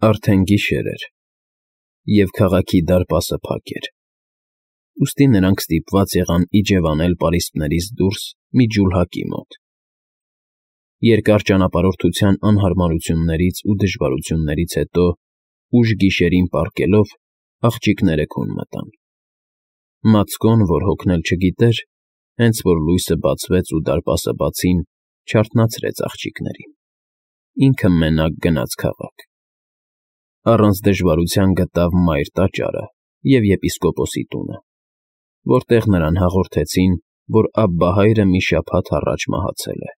Արդեն գիշեր էր, և քաղաքի դարպասը փակ էր, ուստի նրանք ստիպված եղան իջևանել պարիսպներից դուրս մի ջուլհակի մոտ։ Երկար ճանապարհորդության անհարմարություններից ու դժվարություններից հետո, ուշ գիշերին պառկելով, աղջիկները քուն մտան։ Մացկոն, որ հոգնել չգիտեր, հենց որ լույսը բացվեց ու դարպասը բացին, չարթնացրեց աղջիկներին։ Ինքը մենակ գնաց քաղաք։ Առանց դժվարության գտավ մայր տաճարը և եպիսկոպոսի տունը, որտեղ նրան հաղորդեցին, որ Աբբահայրը մի շաբաթ առաջ մահացել է։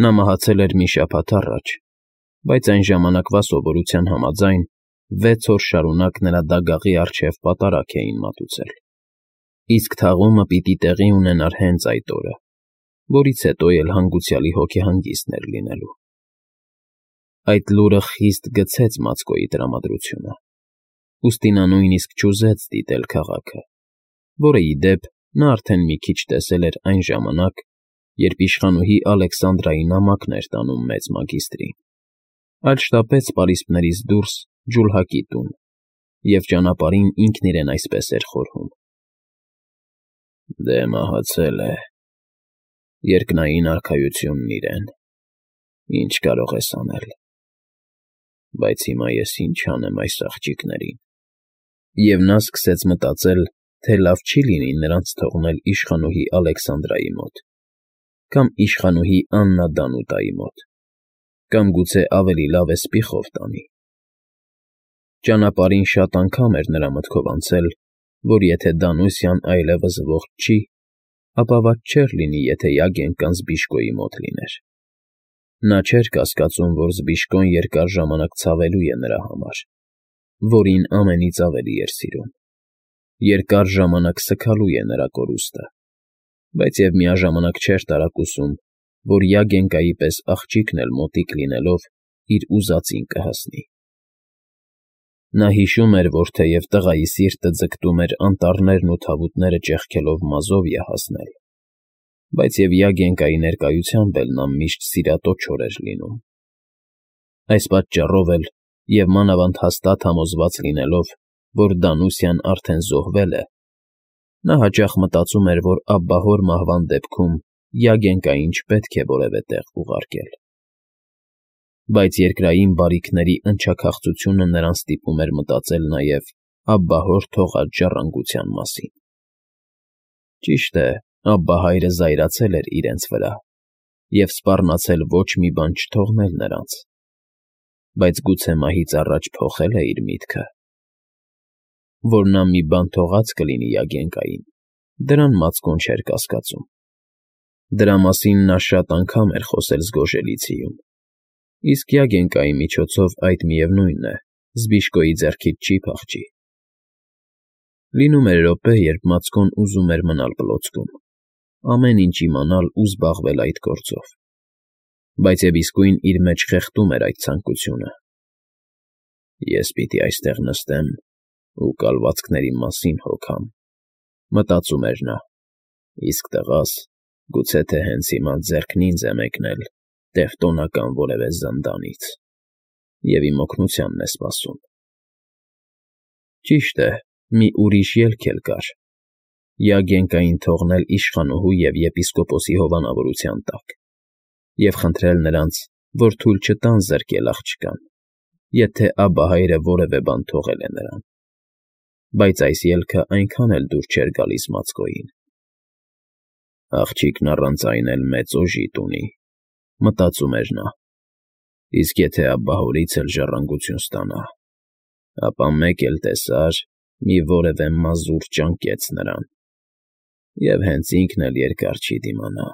Նա մահացել էր մի շաբաթ առաջ, բայց այն ժամանակվա սովորության համաձայն 6 օր շարունակ նրա դագաղի առջև պատարագ էին մատուցել, իսկ թաղումը պիտի տեղի ունենար հենց այդ օրը, որից հետո էլ հանգուցյալի հոգեհանգիստն էր լինելու։ Այդ լուրը խիստ գցեց Մացկոյի տրամադրությունը, ուստի նա նույնիսկ չուզեց դիտել քաղաքը, որը, ի դեպ, նա արդեն մի քիչ տեսել էր այն ժամանակ, երբ իշխանուհի Ալեքսանդրայի նամակն էր տանում մեծ մագիստրին, այլ շտապեց պարիսպներից դուրս ջուլհակի տուն, և ճանապարհին ինքն իրեն այսպես էր խորհում. «Դե մահացել է, երկնային արքայությունն իրեն, ինչ կարող ես անել, բայց հիմա ես ինչ անեմ այս աղջիկներին»։ Եվ նա սկսեց մտածել, թե լավ չի լինի նրանց թողնել իշխանուհի Ալեքսանդրայի մոտ, կամ իշխանուհի Աննա Դանուտայի մոտ, կամ գուցե ավելի լավ է սպիխով տանի։ Ճանապարհին շատ անգամ էր նրա մտքով անցել, որ եթե Դանուսյան այլևս ողջ չի, ապա վատ չէր լինի, եթե Յագեն կամ Զբիշկոյի մոտ լիներ։ Նա չէր կասկածում, որ Զբիշկոն երկար ժամանակ ցավելու է նրա համար, որին ամենից ավելի էր սիրում, երկար ժամանակ սգալու է նրա կորուստը, բայց և միաժամանակ չէր տարակուսում, որ Յագենկայի պես աղջիկն էլ մոտիկ լինելով իր ուզածին կհասնի։ Նա հիշում էր, որ թեև տղայի սիրտը ձգտում էր անտառներն ու թավուտները ճեղքելով մազովիա հասնել, բայց և Յագենկայի ներկայությամբ էլ նա միշտ սիրատոչոր էր լինում։ Այս պատճառով էլ, և մանավանդ հաստատ համոզված լինելով, որ Դանուսյան արդեն զոհվել է, նա հաճախ մտածում էր, որ աբբահոր մահվան դեպքում Յագենկային չպետք է որևէ տեղ ուղարկել։ Բայց երկրային բարիքների ընչաքաղցությունը նրան ստիպում էր մտածել նաև աբբահոր թողած ժառանգության մասին։ Ճիշտ է, Աբբահայրը զայրացել էր իրենց վրա և սպառնացել ոչ մի բան չթողնել նրանց, բայց գուցե մահից առաջ փոխել է իր միտքը։ Որ նա մի բան թողած կլինի Յագենկային, դրան Մացկոն չէր կասկածում։ Դրա մասին նա շատ անգամ էր խոսել Զգոժելիցիում, իսկ Յագենկայի միջոցով այդ, միևնույն է, Զբիշկոյի ձեռքից չի փախչի։ Լինում էր րոպե, երբ Մացկոն ուզում էր մնալ պլոցքում, ամեն ինչ իմանալ ու զբաղվել այդ գործով, բայց և իսկույն իր մեջ խեղդում էր այդ ցանկությունը։ «Ես պիտի այստեղ նստեմ ու կալվածքների մասին հոգամ», մտածում էր նա, իսկ տղաս գուցե թե հենց հիմա ձեռքն ինձ է մեկնել տևտոնական որևէ զնդանից և իմ օգնությանն է սպասում։ Ճիշտ է, մի ուրիշ ելք էլ կար. Յագենկային թողնել իշխանուհու և եպիսկոպոսի հովանավորության տակ և խնդրել նրանց, որ թույլ չտան զրկել աղջկան, եթե Աբբահայրը որևէ բան թողել է նրան։ Բայց այս ելքը այնքան էլ դուր չէր գալիս Մացկոյին։ «Աղջիկն առանց այն էլ մեծ օժիտ ունի», մտածում էր նա, «իսկ եթե աբբահորից էլ ժառանգություն ստանա, ապա մեկ էլ տեսար, մի որևէ մազուր ճանկեց նրան, և հենց ինքն էլ երկար չի դիմանա։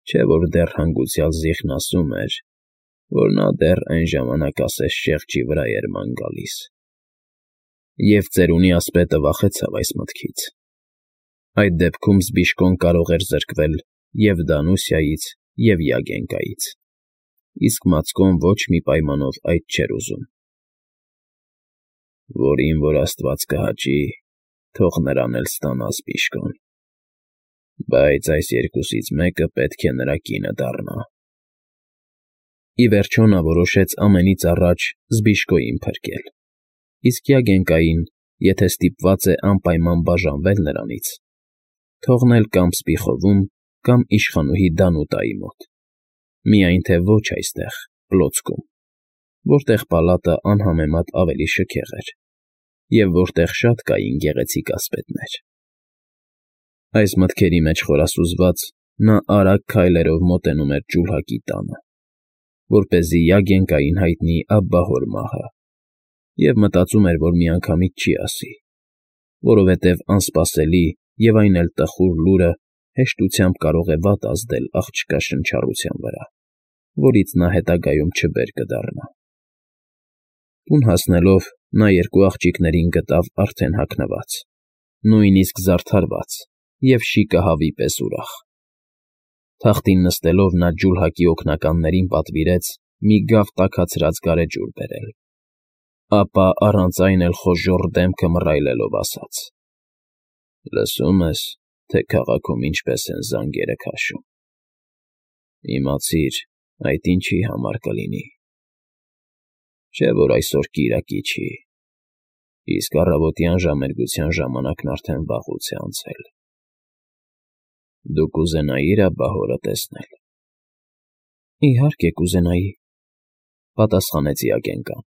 Չէ՞ որ դեռ հանգուցյալ Զիխն ասում էր, որ նա դեռ այն ժամանակ ասես շեղջի վրա էր ման գալիս»։ Եվ ծերունի ասպետը վախեցավ այս մտքից։ Այդ դեպքում Զբիշկոն կարող էր զրկվել և Դանուսյայից, և Յագենկայից, իսկ Մացկոն ոչ մի պայմանով այդ չէր ուզում։ «Որին որ աստված կհաճի, թող նրան էլ ստանա Զբիշկոն, բայց այս երկուսից մեկը պետք է նրա կինը դառնա»։ Ի վերջո նա որոշեց ամենից առաջ Զբիշկոյին փրկել, իսկ Յագենկային, եթե ստիպված է անպայման բաժանվել նրանից, թողնել կամ Սպիխովում, կամ իշխանուհի Դանուտայի մոտ, միայն թե ոչ այստեղ, Պլոցկում, որտեղ պալատը անհամեմատ ավելի շքեղ էր, և որտեղ շատ կային գեղեցիկ ասպետներ։ Այս մտքերի մեջ խորասուզված նա արագ քայլերով մոտենում էր ջուլհակի տանը, որպեսզի Յագենկային հայտնի Աբբահոր մահը, և մտածում էր, որ միանգամից չի ասի, որովհետև անսպասելի և այն էլ տխուր լուրը հեշտությամբ կարող է վատ ազդել աղջկա շնչառության վրա, որից նա հետագայում չբեր կդառնա։ Տուն հասնելով նա երկու աղջիկներին գտավ արդեն հագնված, նույնիսկ զարդարված և շիկը հավի պես ուրախ։ Թախտին նստելով նա ջուլհակի օգնականներին պատվիրեց մի գավ տաքացրած գարեջուր բերել, ապա առանց այն էլ խոժոռ դեմքը մռայլելով ասաց. «Լսում ես, թե քաղաքում ինչպես են զանգերը քաշում։ Իմացիր, այդ ինչի համար կլինի։ Չէ՞ որ այսօր կիրակի չի, իսկ առավոտյան ժամերգության ժամանակն արդեն վաղուց է անցել։ Դու կուզենայի՞ր Աբբահորը տեսնել»։ Իհարկե կուզենայի, պատասխանեց Յագենկան։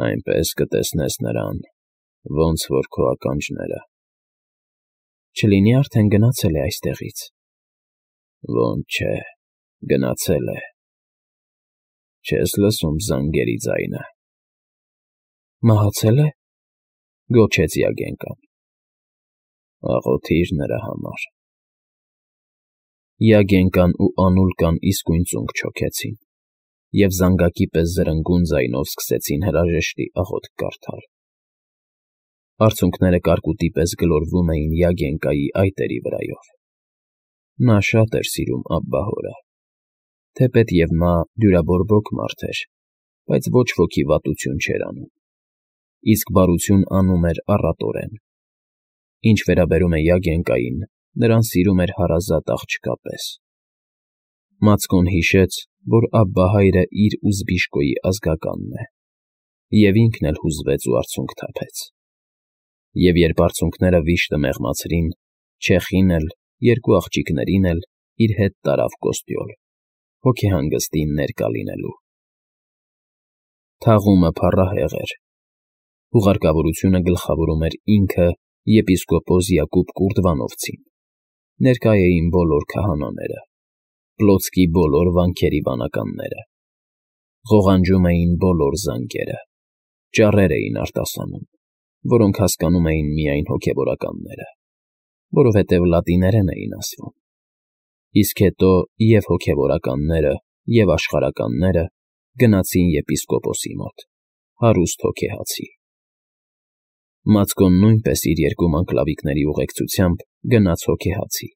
Այնպես կտեսնես նրան, ոնց որ քո ականջները։ Չլինի արդեն գնացել է այստեղից։ Ոնց չէ, գնացել է։ Չես լսում զանգերի ձայնը։ Մահացել է, գոչեց Յագենկան։ Աղոթիր նրա համար։ Յագենկան ու Անուլկան իսկույն ծունկ չոքեցին և զանգակի պես զրնգուն ձայնով սկսեցին հրաժեշտի աղոթք կարդալ։ Արցունքները կարկուտի պես գլորվում էին Յագենկայի այտերի վրայով։ Նա շատ էր սիրում Աբբահորը, թեպետև նա դյուրաբորբոք մարդ էր, բայց ոչ ոքի վատություն չէր անում, իսկ բարություն անում էր առատորեն։ Ինչ վերաբերում է Յագենկային, նրան սիրում էր հարազատ աղջկա պես։ Մացկոն հիշեց, որ Աբբահայրը իր ու Զբիշկոյի ազգականն է, և ինքն էլ հուզվեց ու արցունք թափեց։ Եվ երբ արցունքները վիշտը մեղմացրին, չեխին էլ, երկու աղջիկներին էլ իր հետ տարավ Կոստյոլ, հոգեհանգստին ներկա լինելու։ Թաղումը փառահեղ էր։ Ուղարկավորությունը գլխավորում էր ինքը եպիսկոպոս Յակուբ Կուրդվանովցին, ներկա էին բոլոր քահանաները, Պլոցկի բոլոր վանքերի վանականները, ղողանջում էին բոլոր զանգերը, ճառեր էին արտասանում, որոնք հասկանում էին միայն հոգևորականները, որովհետև լատիներեն էին ասվում, իսկ հետո և հոգևորականները, և աշխարհականները գնացին եպիսկոպոսի մոտ, հարուստ հոգեհացի։ Մացկոն նույնպես իր երկու մանկլավիկների ուղեկցությամբ գնաց հոգեհացի,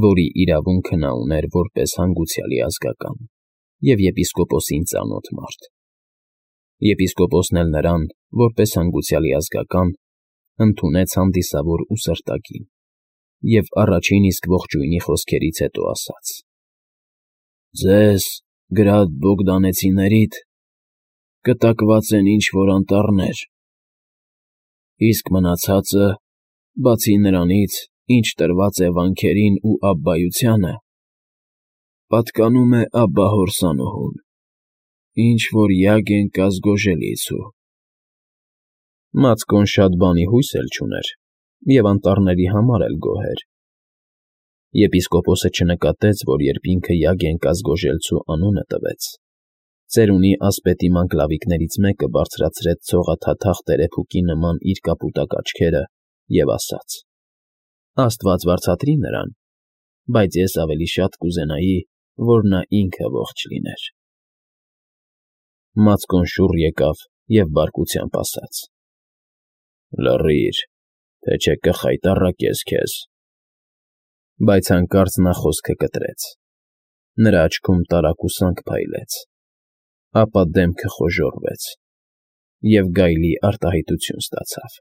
որի իրավունքը նա ուներ որպես հանգուցյալի ազգական և եպիսկոպոսին ծանոթ մարդ։ Եպիսկոպոսն էլ նրան, որպես հանգուցյալի ազգական, ընդունեց հանդիսավոր ու սրտագին և առաջին իսկ ողջույնի խոսքերից հետո ասաց. «Ձեզ, գրադ Բոգդանեցիներիդ, կտակված են ինչ֊որ անտառներ, իսկ մնացածը, բացի նրանից, ինչ տրված է վանքերին ու Աբբայությանը, պատկանում է Աբբահոր Սանուհուն, ինչ֊որ Յագենկա Զգոժելիցու»։ Մացկոն շատ բանի հույս էլ չուներ և անտառների համար էլ գոհ էր։ Եպիսկոպոսը չնկատեց, որ երբ ինքը Յագենկա Զգոժելցու անունը տվեց, ծերունի ասպետի մանկլավիկներից մեկը բարձրացրեց ցողաթաթախ տերեփուկի նման իր կապուտակ աչքերը և ասաց. «Աստված վարձատրի նրան, բայց ես ավելի շատ կուզենայի, որ նա ինքը ողջ լիներ»։ Մացկոն շուռ եկավ և բարկությամբ ասաց. «Լռիր, թե չէ կխայտառակես քեզ»։ Բայց հանկարծ նա խոսքը կտրեց, նրա աչքում տարակուսանք փայլեց, ապա դեմքը խոժոռվեց և գայլի արտահայտություն ստացավ։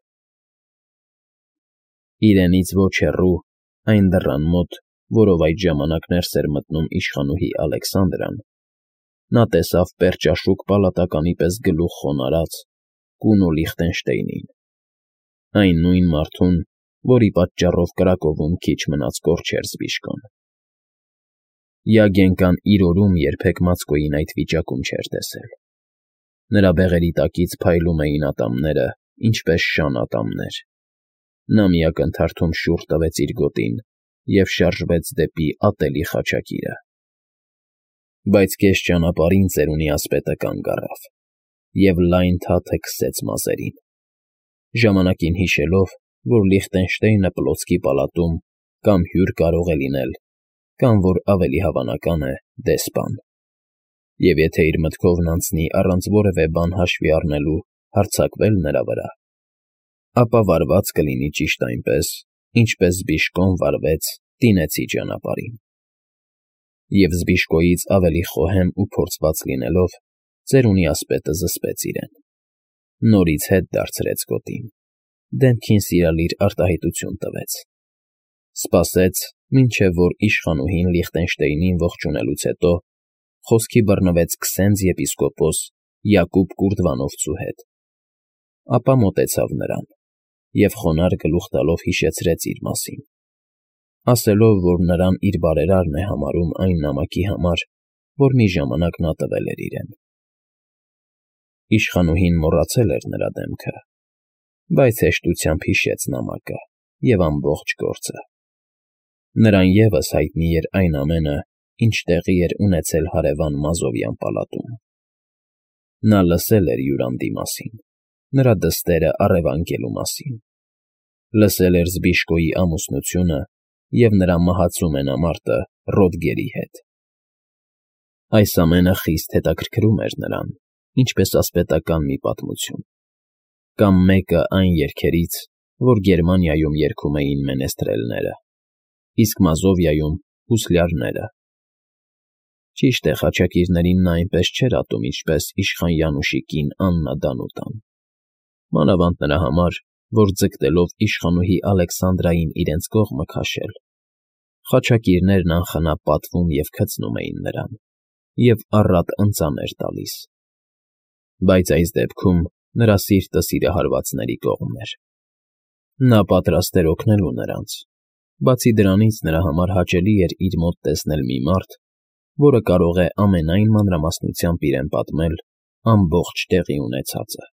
Իրենից ոչ հեռու, այն դռան մոտ որով այդ ժամանակ ներս էր մտնում իշխանուհի Ալեքսանդրան, նա տեսավ պերճաշուք պալատականի պես գլուխ խոնարհած Կունո Լիխտենշտեյնին, այն նույն մարդուն, որի պատճառով Կրակովում քիչ մնաց կորչեր Զբիշկոն։ Յագենկան իր օրում երբեք Մացկոյին այդ վիճակում չէր տեսել։ Նրա բեղերի տակից փայլում էին ատամները, ինչպես շան ատամներ։ Նա մի ակնթարթում շուռ տվեց իր գոտին և շարժվեց դեպի ատելի խաչակիրը։ Բայց կես ճանապարհին ծերունի ասպետը կանգ առավ և լայն թաթը քսեց մազերին, ժամանակին հիշելով, որ Լիխտենշտեյնը պլոցքի պալատում կամ հյուր կարող է լինել, կամ, որ ավելի հավանական է, դեսպան, և եթե իր մտքովն անցնի առանց որևէ բան հաշվի առնելու հարձակվել նրա վրա, ապա վարված կլինի ճիշտ այնպես, ինչպես Զբիշկոն վարվեց Տինեցի ճանապարհին։ Եվ Զբիշկոյից ավելի խոհեմ ու փորձված լինելով, ծերունի ասպետը զսպեց իրեն, նորից հետ դարձրեց գոտին, դեմքին սիրալիր արտահայտություն տվեց, սպասեց, մինչև որ իշխանուհին Լիխտենշտեյնին ողջունելուց հետո խոսքի բռնվեց քսենց եպիսկոպոս Յակուբ Կուրդվանովցու հետ, ապա մոտեցավ նրան և խոնարհ գլուխ տալով հիշեցրեց իր մասին, ասելով, որ նրան իր բարերարն է համարում այն նամակի համար, որ մի ժամանակ նա տվել էր իրեն։ Իշխանուհին մոռացել էր նրա դեմքը, բայց հեշտությամբ հիշեց նամակը և ամբողջ գործը։ Նրան ևս հայտնի էր այն ամենը, ինչ տեղի էր ունեցել հարևան Մազովյան պալատում։ Նա լսել էր հյուրանդի մասին, նրա դստերը առևանգելու մասին, լսել էր Զբիշկոյի ամուսնությունը և նրա մահացու մենամարտը Ռոդգերի հետ։ Այս ամենը խիստ հետաքրքրում էր նրան, ինչպես ասպետական մի պատմություն, կամ մեկը այն երգերից, որ Գերմանիայում երգում էին մենեստրելները, իսկ Մազովիայում՝ հուսլյարները։ Ճիշտ է, խաչակիրներին նա այնպես չէր ատում, ինչպես իշխան Յանուշի կին Աննա Դանուտան, մանավանդ նրա համար, որ ձգտելով իշխանուհի Ալեքսանդրային իրենց կողմը քաշել, խաչակիրներն անխնա պատվում և քծնում էին նրան և առատ ընծաներ տալիս։ Բայց այս դեպքում նրա սիրտը սիրահարվածների կողմն էր։ Նա պատրաստ էր օգնելու նրանց, բացի դրանից նրա համար հաճելի էր իր մոտ տեսնել մի մարդ, որը կարող է ամենայն մանրամասնությամբ իրեն պատմել ամբողջ տեղի ունեցածը։